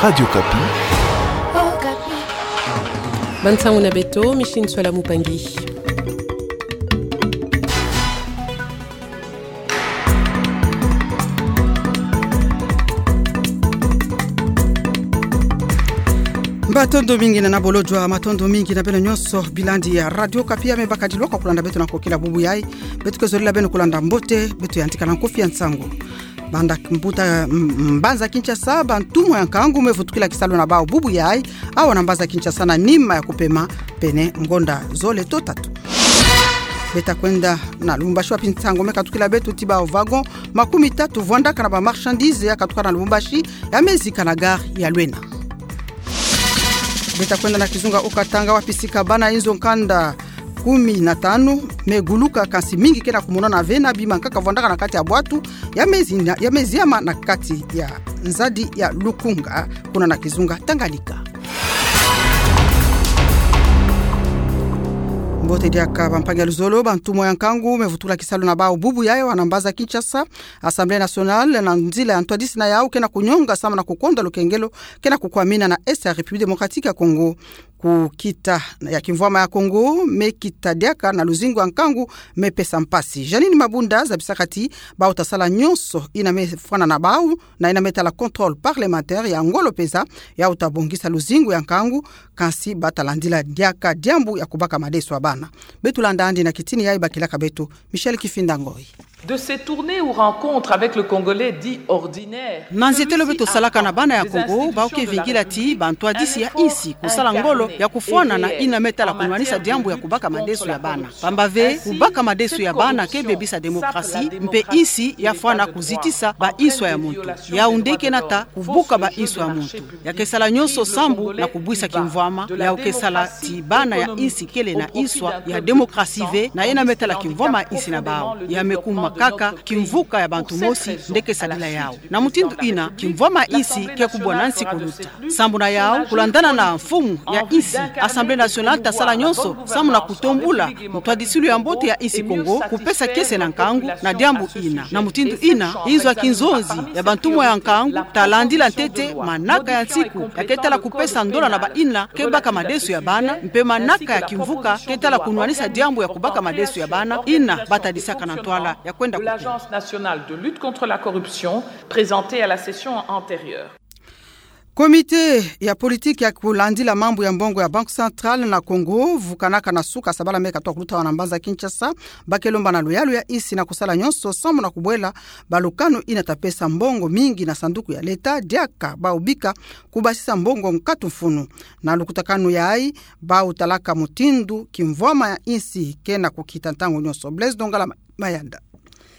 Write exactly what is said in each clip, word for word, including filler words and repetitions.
Radio Okapi. Bansango na beto, Micheline Soila Mupangi. Matondo mingi na nabolojwa, matondo mingi na beno nyonso bilandi ya Radio Okapi ya me bakadilwaka kulanda beto na kokila bubu yayi. Beto ke zolila beno kulanda mbote, beto yantika na nkofi ya nsangu. Banda mbuta, m-, mbanza Kinshasa, bantumwa ya nkangu me vutukila kisalu na bawu bubu yayi awa na mbanza Kinshasa na nima ya kupema pene ngonda zole to tatu. Beta kwenda na Lubumbashi wapi nsangu me katukila beto ti ba wagon makumi tatu vwandaka na ba marchandises ya katuka na Lubumbashi ya me zika na gare ya Lwena. Beta kwenda na kizunga Haut-Katanga wapi sika bana inzo nkanda kumi na tanu me guluka, kansi mingi ke na kumonana ve na bima nkaka vwandaka na kati ya bwatu ya me zina-, ya me ziama na kati ya nzadi ya Lukunga kuna na kizunga Tanganyika. Mbote diaka bampangi ya luzolo, bantumwa ya nkangu me vutukila kisalu na bawu bubu yayi awa na mbanza Kinshasa. Assemblée nationale, na nzila ya ntwadisi na yawu, ke na kunyonga samu na kukonda lukengelo ke na kukwamina na Est ya République démocratique ya Congo. Ku kita ya kimvwama ya Congo, me kita diaka na luzingu ya nkangu me pesa mpasi. Jeanine Mabunda zabisaka ti bawu ta sala nyonso ina me fwana na bawu, na ina me tala contrôle parlementaire ya ngolo peza, yawu ta bongisa luzingu ya nkangu, kansi ba ta landila diaka diambu ya kubaka madesu ya bana. Beto landa andi na kitini yayi bakilaka beto Michel Kifinda Ngoi. De sétourner ou rencontre avec le Congolais dit ordinaire. Na nzietelo beto salaka na bana ya Congo, bawu ke vingila ti bantwadisi ya insi kusala ngolo ya kufwana na ina me tala kunwanisa diambu ya kubaka madesu ya bana. Pamba ve, kubaka madesu ya bana ke bebisa démocratie, mpe insi ya fwana kuzitisa ba inswa ya muntu. Yawu nde ke nata kubuka ba inswa ya muntu. Ya ke sala nyonso sambu na kubwisa kimvwama, yawu ke sala ti bana ya insi kele na inswa ya démocratie ve, na ina me tala kimvwama ya insi na bawu. Ya me kuma kaka kimvuka ya bantu mosi nde ke sadila yawu. Na mutindu ina, kimvwama ya insi ke kubwa na nsi kuluta. Sambu na yawu, kulandana na mfumu ya insi, Assemblée nationale ta sala nyonso samu na kutombula ntwadisilu ya mbote ya insi Congo, kupesa kiese na nkangu na diambu ina. Na mutindu ina, inzo ya kinzonzi ya bantumwa ya nkangu ta landila ntete manaka ya nsiku ya ke tala kupesa ndola na ba ina ke baka madesu ya bana, mpe manaka ya kimvuka ke tala kunwanisa diambu ya kubaka madesu ya bana, ina ba tadisaka na ntwala ya kwenda kupema. L'Agence nationale de lutte contre la corruption, présentée à la session antérieure. Comité ya politique ya kulandila mambu ya mbongo ya Banque centrale na Congo vukanaka na suka sabala me katuka kuluta awa na mbanza Kinshasa, ba ke lomba na luyalu ya insi na kusala nyonso samu na kubwela balukanu ina ta pesa mbongo mingi na sanduku ya leta, diaka bawu bika kubasisa mbongo nkatu mfunu. Na lukutakanu yayi, bawu talaka mutindu kimvwama ya insi ke na kukita ntangu nyonso. Blaise Dongala Mayanda.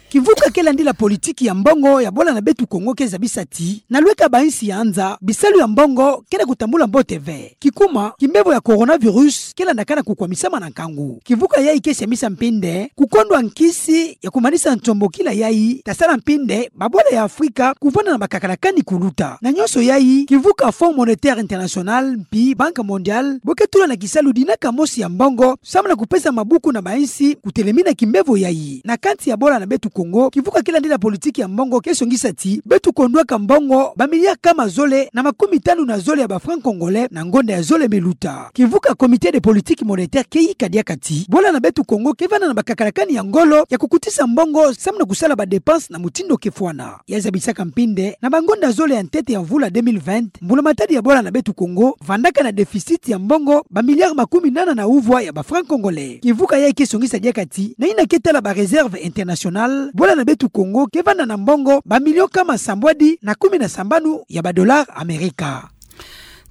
Kivuka ke landila politiki ya mbongo ya bwala na beto Congo ke zabisa ti, na lweka ba insi ya nza, bisalu ya mbongo ke na kutambula mbote ve. Kikuma, kimbevo ya coronavirus ke landaka na kukwamisama na nkangu. Kivuka yayi ke siamisa mpinde kukondwa nkisi ya kumanisa ntombokila yayi ta sala mpinde babwala ya Afrika kuvanda na bakakalakani kuluta. Na nyonso yayi, kivuka Fonds Monétaire International mpi Banque Mondiale bo ke tula na kisalu dinaka mosi ya mbongo samu na kupesa mabuku na ba insi kutelemina kimbevo yayi. Na kansi ya bwala na beto Congo, kivuka ke landila politiki ya mbongo ke songisa ti beto kondwaka mbongo ba milliards kama zole na makumi tanu na zole ya ba francs congolais na ngonda ya zole me luta. Kivuka Comité de politique monétaire ke yika diaka ti bwala na beto Congo ke vanda na bakakalakani ya ngolo ya kukutisa mbongo samu na kusala ba dépenses na mutindu ke fwana. Ya zabisaka mpinde, na bangonda zole ya ntete ya mvula deux mille vingt, mbula matadi ya bwala na beto Congo vandaka na déficit ya mbongo ba milliards makumi nana na uvwa ya ba francs congolais. Kivuka yayi ke songisa diaka ti, na ina ke tala ba réserves internationales, bwala na beto Congo ke vanda na mbongo ba millions kama sambwadi na kumi na sambanu ya ba dollars Amerika.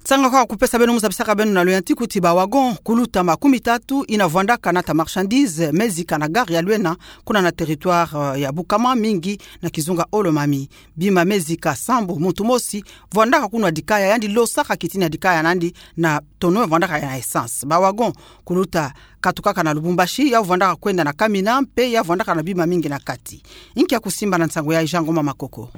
Nsangu kwa kupesa beno, mu zabisaka beno na loyantiku ti ba wagon kuluta makumi tatu ina vwandaka nata marchandises me zika na gare ya Lwena, kuna na territoire, euh, ya Bukama, mingi na kizunga Haut-Lomami. Bima me zika sambu muntu mosi vwandaka kunwa dikaya, yandi losaka kitini ya dikaya nandi na tono vwandaka ya na essence. Ba wagon kuluta katukaka na Lubumbashi, ya vwandaka kwenda na Kamina, mpe ya vwandaka na bima mingi na kati. Inki ya kusimba na nsangu yayi? Jean Ngoma Makoko.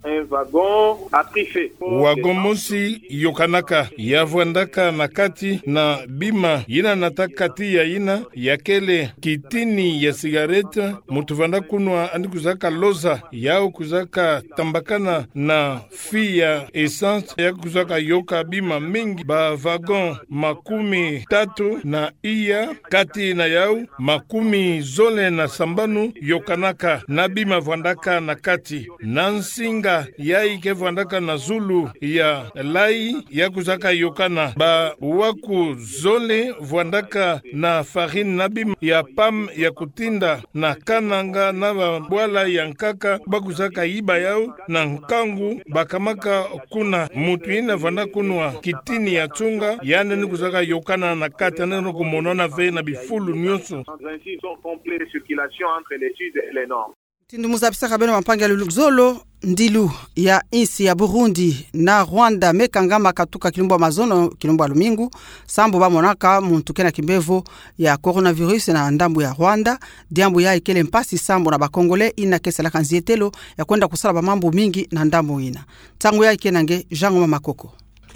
Un wagon a pris feu. Wagon mosi yokanaka, ya vwandaka na kati na bima yina nataka tiya yina, ya kele kitini ya cigarette, muntu vwanda kunwa yandi kuzaka loza, yau kuzaka tambakana na feu ya essence, ya kuzaka yoka bima mingi, ba wagon makumi tatu na iya, kati na yau makumi zole na sambanu yokanaka na bima vwandaka na kati. Na nsinga yayi ke vwandaka na zulu ya layi, ya kuzaka yokana ba waku zole vwandaka na farine na bima ya pomme ya kutinda na kananga na ba bwala ya nkaka, ba kuzaka yiba yau na nkangu, bakamaka kuna muntu yina vwanda kunwa kitini ya tsunga, yandi ni kuzaka yokana na kati, yandi ni kumonana ve na bifulu nyonso. Dans un site en pleine circulation entre le sud et le nord. Mutindu muzabisaka beno bampangi ya luzolo, ndilu ya insi ya Burundi na Rwanda me kangama katuka kilumbu ya mazono, kilumbu ya lumingu, sambu bamonaka muntu ke na kimbevo ya coronavirus na ndambu ya Rwanda. Diambu yayi kele mpasi sambu na ba Congolais yina ke salaka nzietelo ya kwenda kusala ba mambu mingi na ndambu yina. Ntangu yayi ke na nge Jean Ngoma Makoko.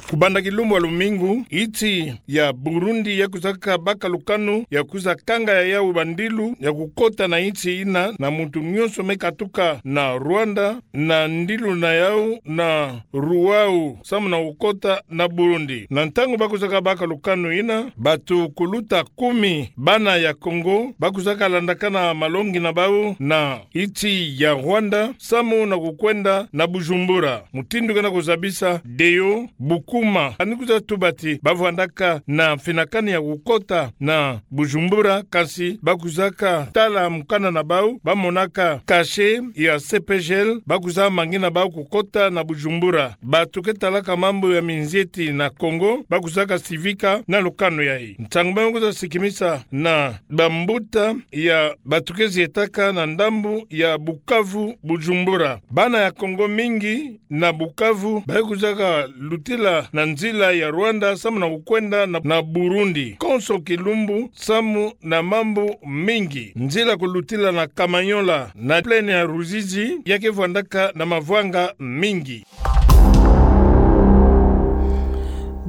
Kubanda kilumbu ya lumingu, insi ya Burundi ya kuzaka baka lukanu ya kuza kanga ya yau bandilu ya kukota na insi yina, na muntu nyonso me katuka na Rwanda na ndilu na yau na ruwau samu na kukota na Burundi. Na ntangu ba kuzaka baka lukanu yina, bantu kuluta kumi bana ya Congo ba kuzaka landakana malongi na bau na insi ya Rwanda samu na kukwenda na Bujumbura. Mutindu ke na kuzabisa Deo Bukuma, yandi kuza tuba ti ba vwandaka na mfinakani ya kukota na Bujumbura, kasi ba kuzaka tala mukanda na bau, ba monaka cachet ya C P G L, ba kuza mangina bau kukota na Bujumbura. Bantu ke talaka mambu ya minzieti na Congo ba kuzaka sivika na lukanu yayi. Ntangu ba kuza sikimisa na bambuta ya bantu ke zietaka na ndambu ya Bukavu, Bujumbura. Bana ya Congo mingi na Bukavu ba kuzaka lutila na nzila ya Rwanda samu na kukwenda na, na Burundi. Konso kilumbu samu na mambu mingi. Nzila kulutila na Kamanyola na plaine ya Ruzizi ya ke vwandaka na mavwanga mingi.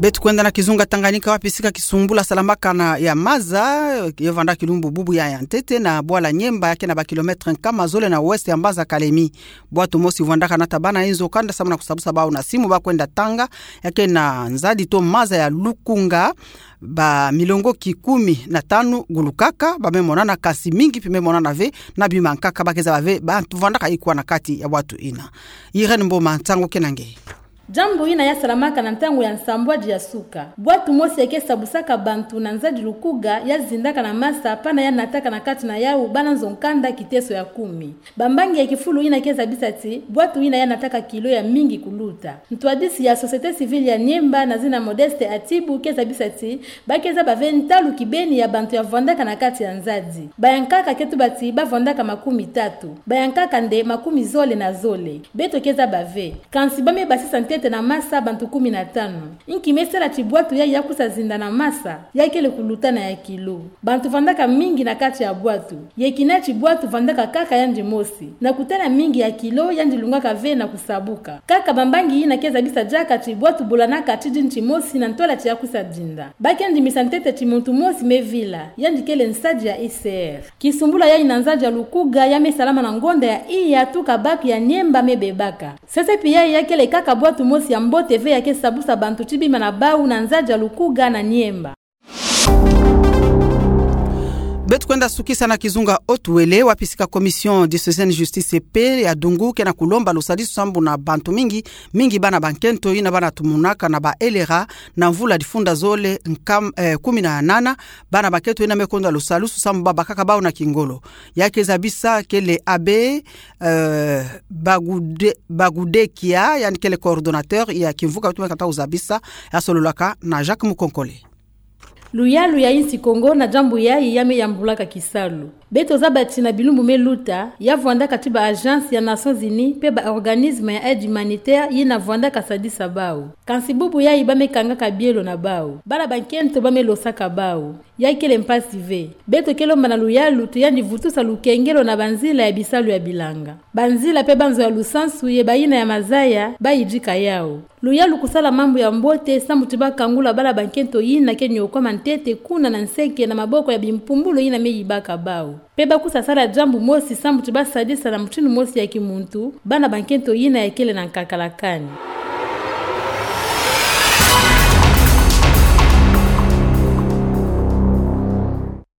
Beto kwenda na kizunga Tanganyika, wapi sika kisumbula salamaka na ya maza, ya vanda kilumbu bubu ya ya ntete na bwala Niemba, ya ke na ba kilomètre nkama zole na ouest ya mbanza Kalemi. Bwatu mosi vwandaka nata bana inzo kanda samu na kusabusa bau na simu ba kwenda tanga, ya ke na nzadi to maza ya Lukunga, ba milongoki kumi na tanu gulukaka, ba me monana, kasi mingi pi me monana ve, na bima nkaka ba ke zaba ve bantu vwandaka ikwa na kati ya bwatu ina. Irène Mboma, ntangu ke na nge. Diambu ina ya salamaka na ntangu ya nsambwadi ya suka. Bwatu mosi ya ke sabusaka bantu na nzadi Lukunga ya zindaka na masa, pana ya nataka na kati na yau bana nzo kanda kiteso ya kumi. Bambangi ya kifulu ina ke zabisa ti bwatu ina ya nataka kilo ya mingi kuluta. Ntwadisi ya société civile ya Niemba na zina Modeste Atibu ke zabisa ti ba ke zaba ve ntalu kibeni ya bantu ya vwandaka na kati ya nzadi. Ba ya nkaka ke tuba ti ba vwandaka makumi tatu. Ba ya nkaka nde makumi zole na zole. Beto ke zaba ve. Kansi ba me basisa ntete na masa bantu kumi na tanu. Inki me sala ti bwatu ya ya kusa zinda na masa, ya kele kuluta na ya kilo. Bantu vwandaka mingi na kati ya bwatu. Ye kina ti bwatu vwandaka kaka yandi mosi. Na kutala mingi ya kilo yandi lungaka ve na kusabuka. Kaka bambangi ina ke zabisa diaka ti bwatu bolanaka ti dinti mosi na ntola ti ya kusa dinda. Ba ke ndimisa ntete ti muntu mosi me vila, yandi kele nsadi ya I C R. Kisumbula ya ina nzadi ya Lukunga ya me salama na ngonda ya iya tuka bac ya Niemba me bebaka. Sese pi ya ya kele kaka bwatu mosi ya mbote ve ya ke sabusa bantu ti bima na bau na nzadi ya Lukunga na Niemba. Beto kwenda sukisa na kizunga Haut-Uélé, wapi sika Commission diocésaine Justice et Paix ya Dungu ke na kulomba lusadisu sambu na bantu mingi, mingi bana bankento ina bana tumunaka na ba L R A na mvula difunda zole nkam, eh, kumi na nana, bana bankento ina me konda lusadisu sambu ba bakaka bau na kingolo. Ya ke zabisa kele abbé, eh, Bagude-, Bagudekia, yandi kele coordonnateur ya kimvuka beto me kata uzabisa, ya sololaka na Jacques Mukonkole. Luyalu ya insi Kongo na diambu yayi ya me yambulaka kisalu. Beto zaba ti na bilumbu me luta, ya vwandaka ti ba agence ya Nations Unies pe ba organisme ya aide humanitaire yina vwandaka sadisa bau. Kansi bubu yayi bamekangaka bielo na bau. Bala ba nkento bamelosaka bau. Ya kele mpasi ve. Beto ke lomba na luyalu ti yandi vutusa lukengelo na banzila ya bisalu ya bilanga, banzila pe banzo ya lusansu ye bayina ya mazaya bayidika yau. Luyalu kusala mambu ya mbote sambu ti bakangula bala ba nkento yina ke niokwama ntete kuna na nseke na maboko ya bimpumbulu yina meyibaka bau. Pe bakusa sala diambu mosi sambu ti basadisa na mutinu mosi ya kimuntu bana ba nkento yina ya kele na nkakalakani.